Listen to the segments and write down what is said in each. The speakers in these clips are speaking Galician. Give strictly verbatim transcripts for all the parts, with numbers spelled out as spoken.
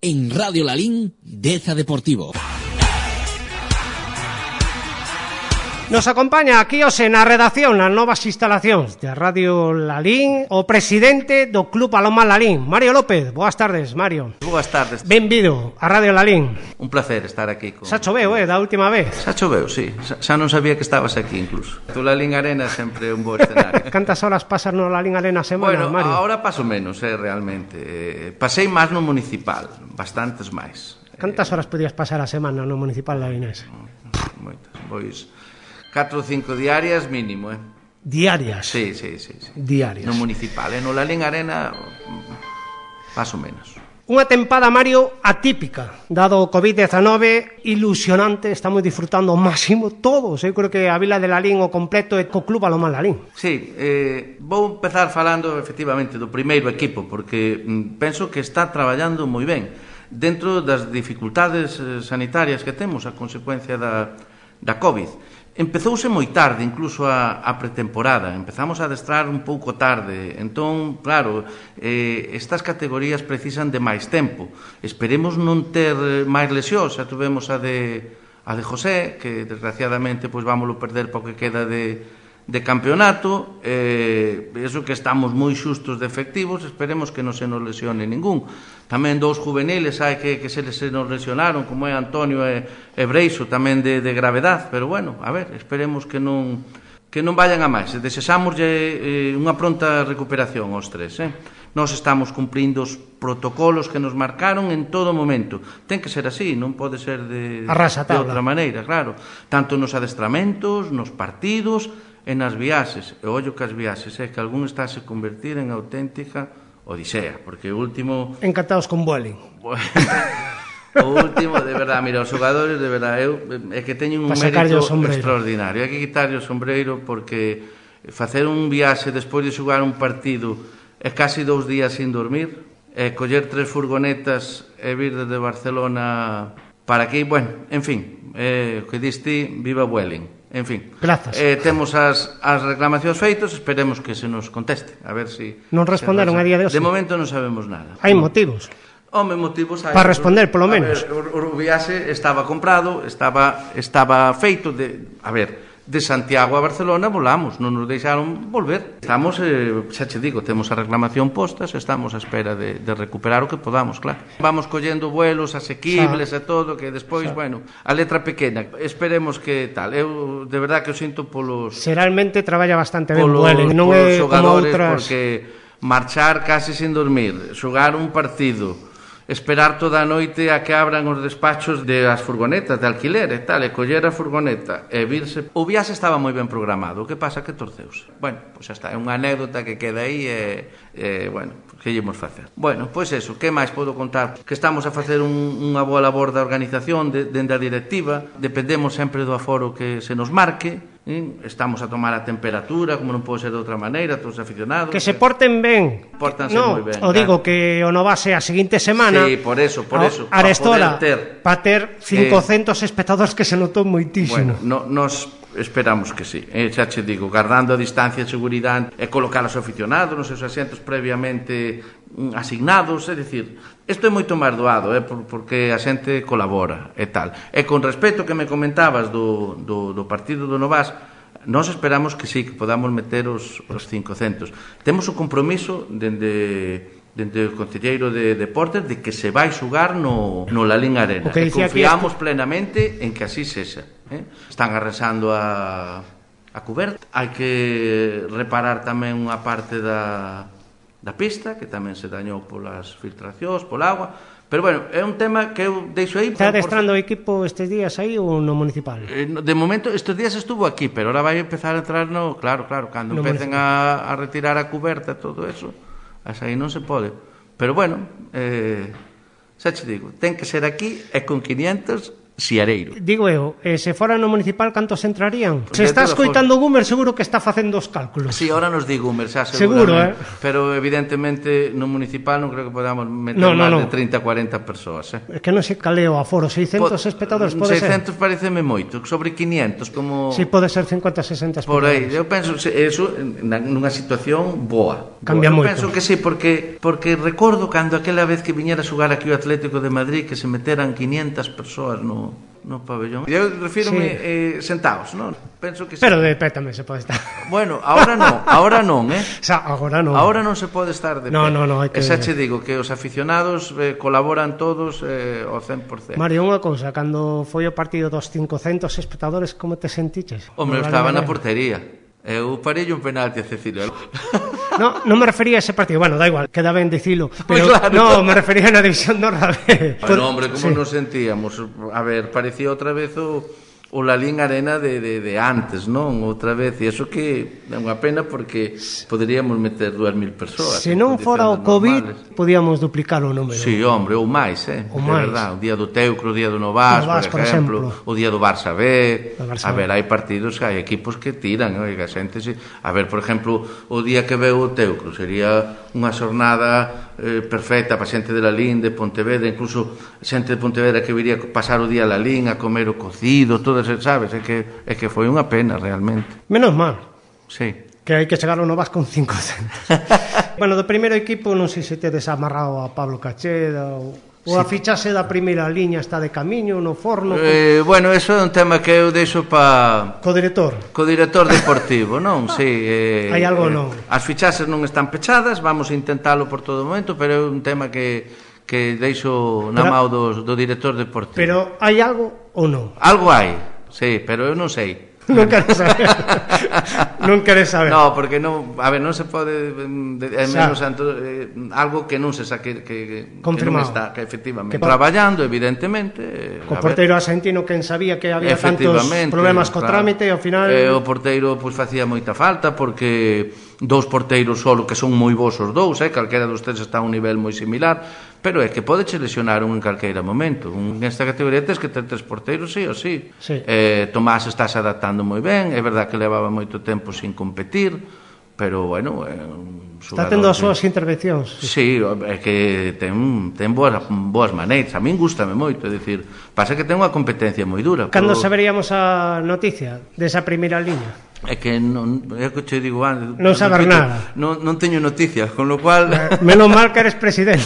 En Radio Lalín, Deza Deportivo. Nos acompaña aquí hoxe na redacción nas novas instalacións de Radio Lalín o presidente do Club Paloma Lalín, Mario López. Boas tardes, Mario. Boas tardes. Benvido a Radio Lalín. Un placer estar aquí con... Xa choveu, eh, da última vez. Xa choveu, sí. Xa non sabía que estabas aquí incluso. Tu Lalín Arena é sempre un bo escenario. Cantas horas pasas no Lalín Arena a semana, bueno, Mario? Bueno, ahora paso menos, eh, realmente. Eh, pasei máis no municipal, bastantes máis. Cantas horas podías pasar a semana no municipal lalinés? Moitas, pois... catro ou cinco diarias mínimo, eh? Diarias? Sí, sí, sí, sí. Diarias. No municipal, eh? No Lalín Arena, paso menos. Unha tempada, Mario, atípica, dado o covid diecinueve, ilusionante, estamos disfrutando ao máximo todos. Eu creo que a Vila de Lalín o completo é co Club Paloma Lalín. Sí, eh, vou empezar falando efectivamente do primeiro equipo, porque mm, penso que está traballando moi ben dentro das dificultades eh, sanitarias que temos a consecuencia da, da COVID. Empezouse moi tarde, incluso a, a pretemporada. Empezamos a adestrar un pouco tarde. Entón, claro, eh, estas categorías precisan de máis tempo. Esperemos non ter máis lesións. Xa tuvemos a de, a de José, que desgraciadamente pois vámoslo perder porque queda de, de campeonato. Eh, eso que estamos moi xustos de efectivos, esperemos que non se nos lesione ningún. Tamén dous juveniles hai que, que se les se nos lesionaron, como é Antonio e, e Breixo, tamén de, de gravedad, pero bueno, a ver, esperemos que non que non vayan a máis. Desexámoslle eh, unha pronta recuperación aos tres, eh? Nós estamos cumprindo os protocolos que nos marcaron en todo momento. Ten que ser así, non pode ser de, de outra maneira, claro. Tanto nos adestramentos, nos partidos e nas viaxes. E ollo que as viaxes, é que algún está a se convertir en auténtica odisea, porque o último... Encantados con Vueling. O último, de verdad, mira, os xogadores, de verdad, eu, é que teñen un mérito extraordinario. Hai que quitarlle o sombreiro porque facer un viaxe despois de xogar un partido é casi dous días sin dormir, e coller tres furgonetas e vir desde Barcelona para aquí, bueno, en fin, eh, o que diste, viva Vueling. En fin, eh, temos as, as reclamacións feitos, esperemos que se nos conteste, a ver se... Si non responderon a día de hoxe? De momento non sabemos nada. Hai motivos? Home, motivos hai. Para responder, polo menos. A ver, o, o viaxe estaba comprado, estaba, estaba feito de... A ver, de Santiago a Barcelona volamos, non nos deixaron volver. Estamos, eh, xa che digo, temos a reclamación postas, estamos a espera de, de recuperar o que podamos, claro. Vamos collendo vuelos asequibles e todo, que despois, xa. Bueno, a letra pequena, esperemos que tal. Eu, de verdad, que o sinto polos... Seralmente traballa bastante ben Vueling, non é como outras... Porque marchar casi sin dormir, xogar un partido... esperar toda a noite a que abran os despachos de as furgonetas de alquiler e tal, e coller a furgoneta e virse. O viaxe estaba moi ben programado, o que pasa que torceuse. Bueno, pois xa está, é unha anécdota que queda aí e, e bueno, que llemos facer. Bueno, pois eso, que máis podo contar? Que estamos a facer un, unha boa labor da organización de, dende a directiva, dependemos sempre do aforo que se nos marque. Estamos a tomar a temperatura, como non pode ser de outra maneira, todos aficionados. Que se porten ben. Pórtanse no, moi ben. O digo que o Novase a seguinte semana. Sí, por eso, por eso. Arestora, para ter cincocentos eh, espectadores que se notou moitísimo. Bueno, no, nos esperamos que sí. Eh, xa che digo, guardando a distancia de seguridade e colocar os aficionados nos seus asientos previamente asignados, é dicir, isto é moito máis doado, eh, porque a xente colabora e tal. E con respecto que me comentabas do, do, do partido do Novas, nós esperamos que sí, que podamos meter os, os cincocentos. Temos o compromiso dende... dende o concelleiro de Deportes de que se vai xugar no, no Lalín Arena e confiamos este... plenamente en que así sexa, eh? Están arrasando a, a cuberta, hai que reparar tamén unha parte da, da pista que tamén se dañou polas filtracións, pola agua, pero bueno, é un tema que eu deixo aí. Está adestrando o equipo estes días aí ou no municipal? De momento, estes días estuvo aquí, pero ahora vai empezar a entrar no, claro, claro, cando no empecen a, a retirar a cuberta e todo eso, asa aí non se pode. Pero bueno, eh, xa che digo, ten que ser aquí e con quinientos Siareiro. Digo eu, eh, se fora no municipal, cantos entrarían? Se De está todas escoitando Gumer, seguro que está facendo os cálculos. Sí, ahora nos di Gumer, xa Seguro, seguramente. eh? Pero evidentemente no municipal non creo que podamos meter No, no, máis no. de trinta a cuarenta persoas, eh? É que non se caleo a foro, seiscentos espectadores pode ser? seiscentos pareceme moito, sobre quinientos, como... Si, pode ser cincuenta a sesenta Por aí, espectadores. eu penso que eso na- nunha situación boa. Cambia boa. Eu moito. penso que sí, porque porque recordo cando aquela vez que viñera a xogar aquí o Atlético de Madrid que se meteran quinientas persoas no no pabellón. Eu refírome Sí. eh, sentados, non? Penso que sí. Pero de pé tamén se pode estar. Bueno, agora non, agora non, eh? O sea, agora non. Agora non se pode estar de pé. No, no, no, hai que- E xa che digo que os aficionados eh, colaboran todos eh, ao cen por cento. Mario, unha cousa, cando foi o partido dos cincocentos espectadores, como te sentiches? Hombre, eu No estaba na Vale, portería. Eu parei un penalti a Cecilio. No, non me refería a ese partido, bueno, da igual, queda ben dicilo, Pues pero claro. no, me refería na división de honra B. Bueno, hombre, como Sí. nos sentíamos? A ver, parecía outra vez o, o Lalín Arena de, de, de antes, non? Outra vez, e iso que é unha pena porque poderíamos meter dúas mil persoas. Se en non fora o condicións COVID, normales. podíamos duplicar o número. Sí, hombre, ou máis, eh? Ou De máis. verdad, o día do Teucro, o día do Novas, Novas, por por exemplo, exemplo. o día do Barça B. Do Barça A B. ver, hai partidos, hai equipos que tiran, oiga, xente, sí. A ver, por exemplo, o día que veu o Teucro sería unha xornada eh, perfecta para xente de Lalín, de Pontevedra, incluso xente de Pontevedra que viría a pasar o día a Lalín, a comer o cocido, todas, sabes? É que, é que foi unha pena, realmente. Menos mal, Sí. que hai que chegar ao Novas con cincocentos. Bueno, do primeiro equipo non sei se tedes amarrado a Pablo Cacheda ou, ou a fichase da primeira liña está de camiño no forno co, Eh, bueno, eso é un tema que eu deixo para... co director. Co director deportivo, non? Sí, eh, Hai algo eh, non? As fichaxes non están pechadas, vamos a intentalo por todo momento, pero é un tema que que deixo na Pero- mão do, do director deportivo. Pero hai algo ou non? Algo hai, sí, pero eu non sei. Non queres saber. Non queres saber. No, porque non, a ver, non se pode mm, de, é Xa. menos santo, eh, algo que non se saque que, que, que non Confirmado. está, que efectivamente Que po- traballando evidentemente, eh, Co a ver. porteiro argentino quen sabía que había tantos Efectivamente, problemas co claro. trámite e ao final eh, o porteiro pois facía moita falta porque dous porteiros solo que son moi bons os dous, eh, calquera dos tres está a un nivel moi similar, pero é que podeche lesionar un en calqueira momento. Un, nesta categoría tes que ter tres porteiros sí ou sí. Sí. Eh, Tomás estás adaptando moi ben, é verdad que levaba moito tempo sin competir, pero bueno, é un está xogador tendo as que- súas intervencións. Sí, é que ten, ten boas, boas maneiras. A min gústame moito, é dicir, pasa que ten unha competencia moi dura. Cando pero- saberíamos a noticia desa primeira liña? É que non, é que che digo antes, Non saber repito, nada. Non, non teño noticias, con lo cual Eh, Menos mal que eres presidente.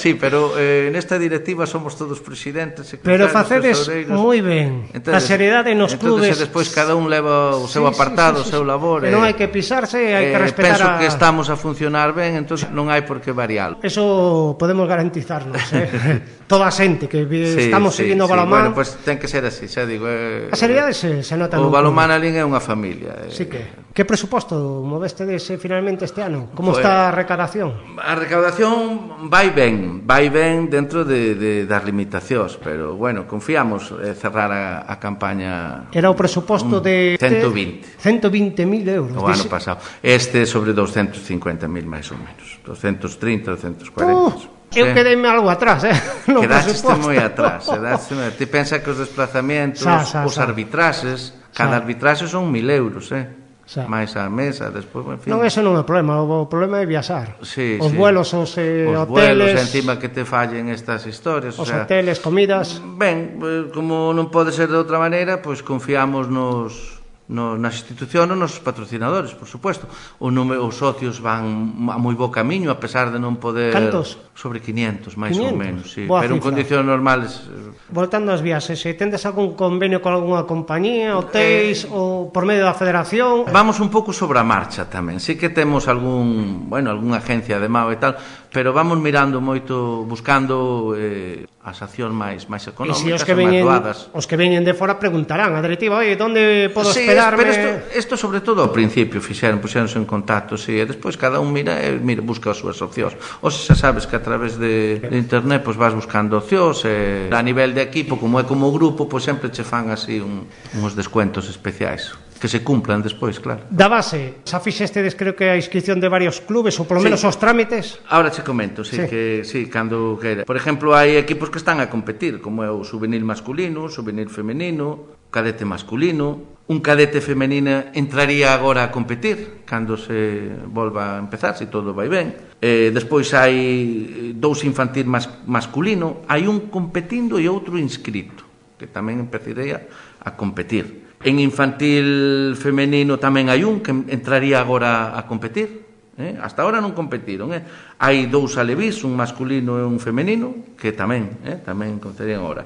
sí, pero eh, nesta directiva somos todos presidentes, Pero secretarios, facedes tesoureiros. moi ben. A seriedade nos entonces, clubes. e despois cada un leva o seu Sí, sí, apartado, sí, sí, o seu sí. labor. E non hai que pisarse, hai que respetar penso a... que estamos a funcionar ben, entonces non hai por que varialo. Eso podemos garantizarnos, eh? Toda a xente que vi- Sí, estamos sí, seguindo o sí. balonmán. Bueno, pues ten que ser así, xa digo. Eh, A seriedade se, se nota O no balonmán club. alín é unha familia. Eh. Sí que. Que presuposto moveste dese finalmente este ano? Como Pues- está a recadación? A recaudación vai ben, vai ben dentro de, de, das limitacións, pero bueno, confiamos eh, cerrar a, a campaña Era o presuposto un de... ciento vinte ciento vinte mil euros. o ano Dice- pasado. Este sobre doscientos cincuenta mil máis ou menos, doscientos trinta, doscientos cuarenta. Uh, eu quedeime algo atrás, eh? No Quedaste presuposto. moi atrás, quedaste moi... Ti pensa que os desplazamentos, Xa, xa, os xa. arbitraxes, cada Xa. arbitraxe son mil euros, eh? Xa. máis a mesa, despois, en fin. Non, eso non é problema, o problema é viaxar. Sí, os sí. vuelos, os eh, os hoteles, vuelos, encima que te fallen estas historias, os o sea, hoteles, comidas. ben, eh, como non pode ser de outra maneira, pois confiamos nos no, nas institucións, nos patrocinadores, por supuesto. O número, os socios van a moi bo camiño, a pesar de non poder... Cantos? Sobre quinientos, máis ou quinientos? menos, sí. Boa Pero en cifra. condicións normales... eh, Voltando ás viaxes, se tendes algún convenio con algunha compañía, hotéis, eh... ou por medio da federación... Vamos un pouco sobre a marcha tamén. Sí que temos algún, bueno, algunha agencia de Mao e tal, pero vamos mirando moito, buscando eh, as accións máis máis E económicas, se os que máis veñen, doadas. os que veñen de fora preguntarán a directiva, oye, onde podo Sí, hospedarme? pero isto, isto sobre todo ao principio fixeron, puxeronse en contacto, sí, e despois cada un mira e mira, busca as súas opcións. Ou se xa sabes que a través de, de internet pois vas buscando opcións, e a nivel de equipo, como é como grupo, pois sempre che fan así un, uns descuentos especiais. que se cumplan despois, claro. Da base, xa fixestedes creo que a inscripción de varios clubes, ou polo menos Sí. os trámites? Ahora che comento, sí, Sí. que sí, cando queira. Por exemplo, hai equipos que están a competir, como é o juvenil masculino, o juvenil femenino, o cadete masculino. Un cadete femenina entraría agora a competir cando se volva a empezar, se todo vai ben. Eh, despois hai dous infantil mas, masculino, hai un competindo e outro inscrito, que tamén empezaría a competir. En infantil femenino tamén hai un que entraría agora a competir. Eh? Hasta ahora non competiron. Eh? Hai dous alevís, un masculino e un femenino, que tamén, eh? tamén competirían agora.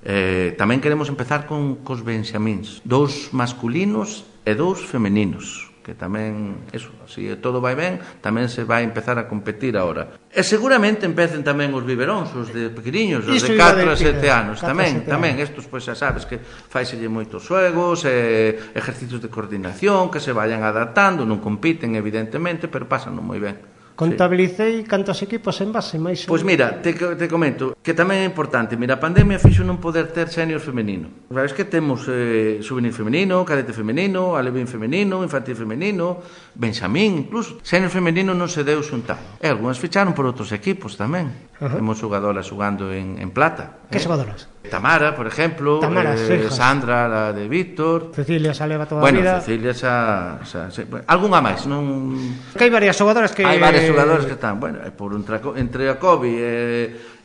Eh, tamén queremos empezar con cos benxamíns, dous masculinos e dous femeninos, que tamén, eso, se todo vai ben, tamén se vai empezar a competir agora. E seguramente empecen tamén os biberóns, os de pequeniños, os Isto de iba catro a a decir, sete anos, catro a tamén, sete tamén, anos. estos, pois, xa sabes que faiselle moitos xuegos, eh, ejercicios de coordinación, que se vayan adaptando, non compiten, evidentemente, pero pasan moi ben. Contabilicei cantos equipos en base, máis... Pois mira, te, te comento que tamén é importante. Mira, a pandemia fixo non poder ter senior femenino. Sabes que temos eh, juvenil femenino, cadete femenino, alevín femenino, infantil femenino, benxamín, incluso. Senior femenino non se deu xuntar. E algunhas ficharon por outros equipos tamén. Ajá. Temos xogadoras xogando en, en plata. Que eh? xogadoras? Tamara, por exemplo, Tamara, eh, sí, Sandra, la de Víctor. Cecilia xa leva toda Bueno, a vida. Cecilia xa, xa, xa bueno, algunha máis, non... Que hai varias xogadoras que... Hai varios xogadores que están, bueno, e por entre, entre a COVID e,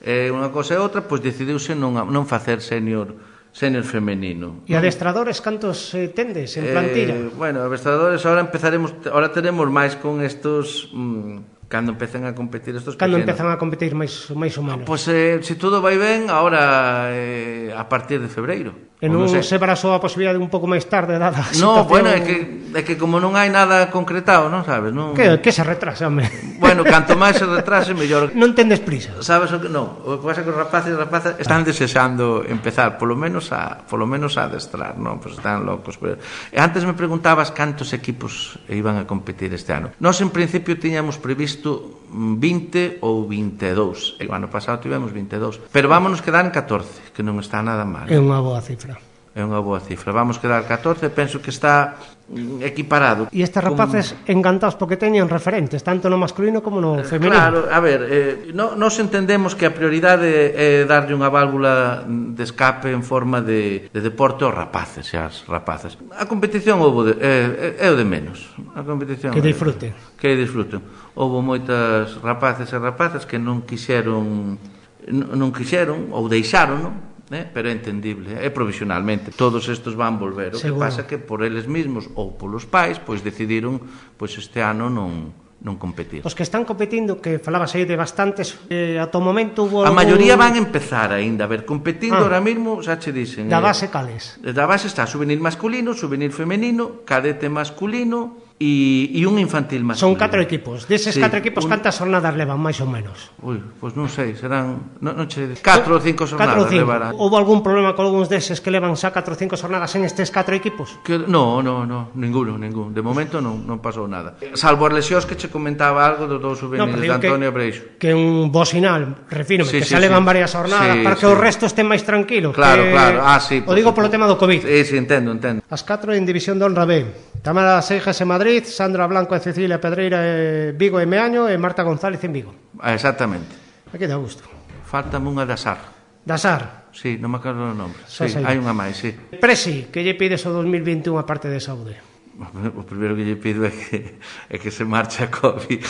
e unha cosa e outra, pois decidiuse non, non facer senior senior femenino. E adestradores cantos eh, tendes en plantilla? Eh, bueno, adestradores, ahora empezaremos, ahora tenemos máis con estos... Mm, cando empecen a competir estos Cando pequenos. empezan a competir máis, máis ou menos? Pois, eh, se todo vai ben, ahora eh, a partir de febreiro. E non sei. se barasou a posibilidade un pouco máis tarde dada a No, situación... bueno, é que, é que como non hai nada concretado, non sabes? Non... Que, que se retrasa, home? Bueno, canto máis se retrase, mellor. Non tendes prisa. Sabes o que non? O que pasa é que os rapaces e rapazas están desexando empezar, polo menos a, polo menos a adestrar, non? Pois están locos. Pero... E antes me preguntabas cantos equipos iban a competir este ano. Nós en principio tiñamos previsto vinte ou vinte e dous. E o ano pasado tivemos vinte e dous. Pero vámonos quedar en catorce, que non está nada mal. É unha boa cifra. É unha boa cifra. Vamos quedar catorce, penso que está mm, equiparado. E estes rapaces con... encantados porque teñen referentes, tanto no masculino como no femenino. Claro, a ver, eh, no, nos entendemos que a prioridade é darlle unha válvula de escape en forma de, de deporte aos rapaces e as rapazas. A competición houve de, é, é o de menos. A competición Que disfruten. Que disfruten. Houve moitas rapaces e rapazas que non quixeron non quixeron ou deixaron, non? Eh, pero é entendible, é provisionalmente. Todos estes van volver. O Seguro. que pasa que por eles mesmos ou polos pais, pois decidiron pois este ano non non competir. Os que están competindo, que falabas aí de bastantes, eh, ata o momento hubo A algún... maioría van a empezar aínda a ver competindo, Ah. ahora mesmo xa che dicen. Da eh, base cales? Da base está juvenil masculino, juvenil femenino, cadete masculino e, e un infantil masculino. Son catro equipos. Deses Sí, catro equipos, un... cantas jornadas levan, máis ou menos? Ui, pois non sei, serán non, non che... catro ou cinco Catro ou xornadas cinco. levarán. Houve algún problema con algúns deses que levan xa catro ou cinco jornadas en estes catro equipos? Que, no, no, no, ninguno, ningún. De momento non, non pasou nada. Salvo as lesións que che comentaba algo dos dous juveniles pero de digo Antonio que, Breixo. que un bo sinal, refírome, Sí, que sí, xa levan sí. varias jornadas Sí, para que sí. o resto estén máis tranquilos. Claro, que... claro. Ah, sí. O digo polo tema do COVID. Sí, sí, entendo, entendo. As catro en División de Honra B. Tamara Seixas en Madrid, Sandra Blanco e Cecilia Pedreira en Vigo e Meaño e Marta González en Vigo. Ah, exactamente. Aquí dá gusto. Faltame unha de Asar. Dasar. Sí, non me acordo o nome. Só Sí, sei. hai unha máis, sí. Presi, que lle pides o dos mil veintiún a parte de saúde? O primeiro que lle pido é que, é que se marche a COVID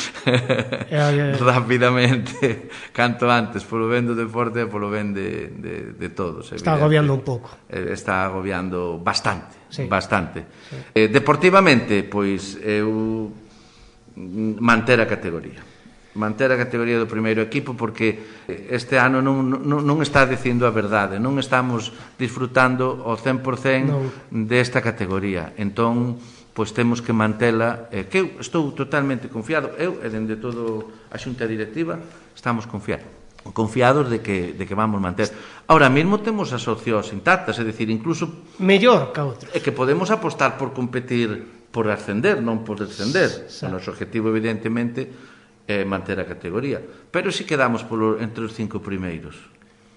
eh, rapidamente, canto antes, polo ben do deporte e polo ben de, de, de todos. Está evidente. agobiando un pouco. Eh, Está agobiando bastante, Sí. bastante. Sí. Eh, deportivamente, pois, eu manter a categoría. Manter a categoría do primeiro equipo porque este ano non, non, non está dicindo a verdade, non estamos disfrutando ao cen por cen Non. desta categoría. Entón, pois temos que mantela, eh, que eu estou totalmente confiado, eu e dende todo a xunta directiva estamos confiados. confiados de que, de que vamos manter. Ahora mesmo temos as opcións intactas, é dicir, incluso Mellor que outros. é que podemos apostar por competir, por ascender, non por descender. Sí. O noso objetivo, evidentemente, é manter a categoría. Pero si quedamos polo, entre os cinco primeiros.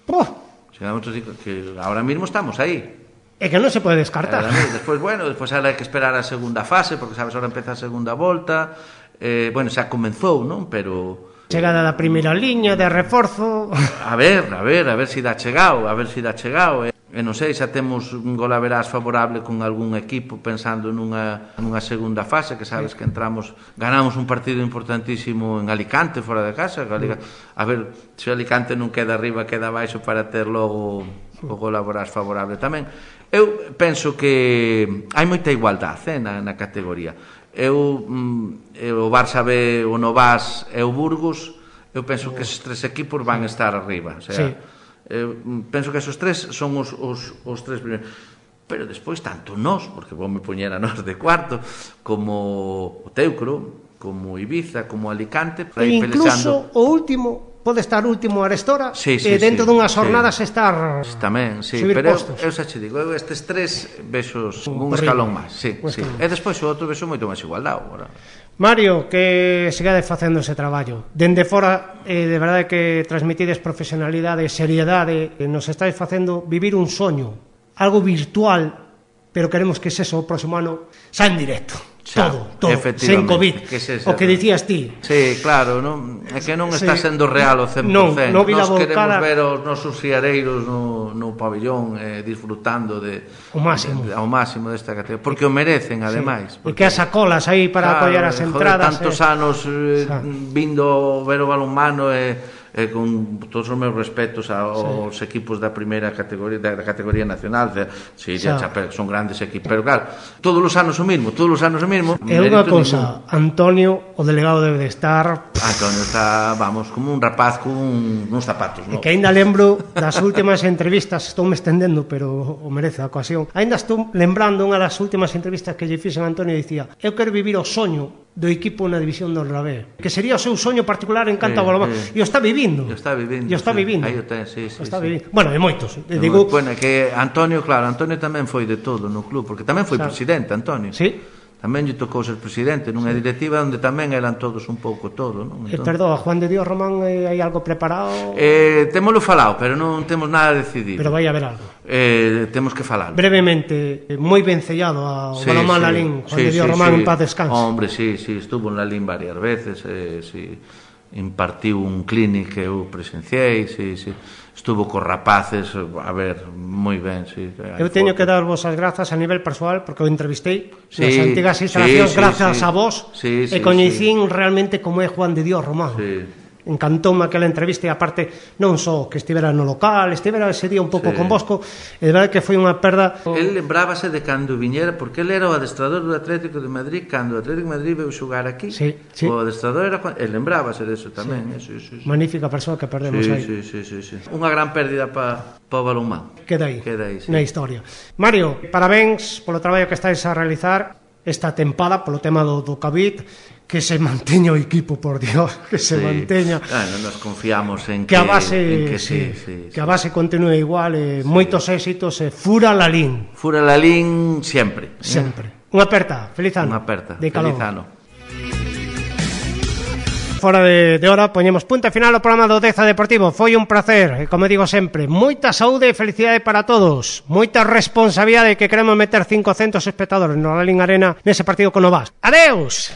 Oh, Si quedamos entre os cinco, que ahora mesmo estamos aí. e É que non se pode descartar. Despois, bueno, despois hai que esperar a segunda fase, porque sabes, ahora empeza a segunda volta, eh, bueno, xa comenzou, non? Pero... Chegada da primeira liña de reforzo. A ver, a ver, a ver se dá chegado, a ver se dá chegado, eh. E non sei, xa temos un golaverás favorable con algún equipo pensando nunha, nunha segunda fase, que sabes que entramos, ganamos un partido importantísimo en Alicante, fora de casa, a ver, se Alicante non queda arriba, queda abaixo para ter logo o golaverás favorable tamén. Eu penso que hai moita igualdade eh, na, na categoría. Eu, eu, o Barça B, o Novas e o Burgos, eu penso que esses tres equipos van estar arriba, o sea, sí. Eu penso que esos tres son os, os, os tres primeiros, pero despois tanto nós, porque vou me poñer a nós de cuarto, como o Teucro, como Ibiza, como Alicante, e incluso pelexando... o último pode estar último Arestora, sí, sí, e dentro sí, dunhas jornadas sí. estar tamén, sí, pero eu, eu xa che digo, eu estes tres vexos un, un escalón máis, sí, sí. E despois o outro vexo moito máis igualdade agora. Mario, que sigades facendo ese traballo. Dende fora, eh, de verdade que transmitides profesionalidade, seriedade, eh, nos estáis facendo vivir un soño, algo virtual, pero queremos que ese o próximo ano xa en directo. Xa, todo, todo, sen COVID, que se, o que dicías ti. Sí, claro, non, é que non está sí. sendo real o cen por cento. Non, non Nos queremos volcada... ver os nosos fiareiros no, no pabillón eh, disfrutando de, o máximo. De, ao máximo desta categoría, porque o merecen, ademais. Sí. E que as sacolas aí para claro, apoiar as entradas. Joder, tantos eh... anos eh, vindo ver o balonmano e... Eh, eh, con todos os meus respetos aos sí. equipos da primeira categoría, da, da categoría nacional, de, sí, de Chapel, son grandes equipos, pero claro, todos os anos o mismo, todos os anos o mismo. É unha cousa, ningún... Antonio, o delegado debe de estar... Antonio está, vamos, como un rapaz con un, uns zapatos, non? E que ainda lembro das últimas entrevistas, estou me estendendo, pero o merece a ocasión. Ainda estou lembrando unha das últimas entrevistas que lle fixen a Antonio, dicía, eu quero vivir o soño do equipo na división do Rabé, que sería o seu soño particular en canto ao balonmán, e o está vivindo. E o está vivindo. E o está sí. vivindo. Aí o ten, sí, sí, o está sí. vivindo. Bueno, e moitos. E digo, moi, bueno, que Antonio, claro, Antonio tamén foi de todo no club, porque tamén foi claro. presidente, Antonio. Sí. Tamén lle tocou ser presidente nunha sí. directiva onde tamén eran todos un pouco todo, non? Entón... Eh, perdón, Juan de Dios Román, eh, hai algo preparado? Eh, témolo falado, pero non temos nada decidido. Pero vai haber algo. Eh, temos que falar. Brevemente, eh, moi ben sellado ao sí, balonmán sí, Lalín, Juan sí, de Dios sí, Román sí. en paz descanse. Hombre, sí, sí, estuvo en Lalín varias veces, eh, sí, impartiu un clínic que eu presenciei, sí, sí. Estuvo cos rapaces, a ver, moi ben, sí. Eu teño fotos. Que dar vos as grazas a nivel persoal, porque o entrevistei sí, nas antigas instalacións, sí, sí, grazas sí. a vos, sí, sí, e coñecín sí. realmente como é Juan de Dios Román. Sí. Encantoume aquela entrevista e aparte non só que estivera no local, estivera ese día un pouco sí. con Bosco, e de verdade que foi unha perda. El lembrábase de cando viñera, porque el era o adestrador do Atlético de Madrid cando o Atlético de Madrid veu xogar aquí. Sí, sí. O adestrador era, el lembrábase de eso tamén, sí. eh, sí, sí, sí. Magnífica persoa que perdemos sí, aí. Sí, sí, sí, sí. Unha gran pérdida para pa o balonmán. Queda aí. Queda aí, sí. Na historia. Mario, parabéns polo traballo que estáis a realizar esta tempada polo tema do, do COVID. Que se manteña o equipo, por Dios, que se sí. manteña. Bueno, nos confiamos en que, que a base, en que, sí, sí, sí, que a base continúe igual, eh, sí. moitos éxitos, eh, fura Lalín. Fura Lalín sempre. Sempre. Unha aperta, feliz ano. Unha aperta, de feliz ano. Fora de, de hora, poñemos punto final ao programa do Deza Deportivo. Foi un placer, e como digo sempre, moita saúde e felicidade para todos, moita responsabilidade, que queremos meter cincocentos espectadores no Lalín Arena nese partido con Novas. Adeus.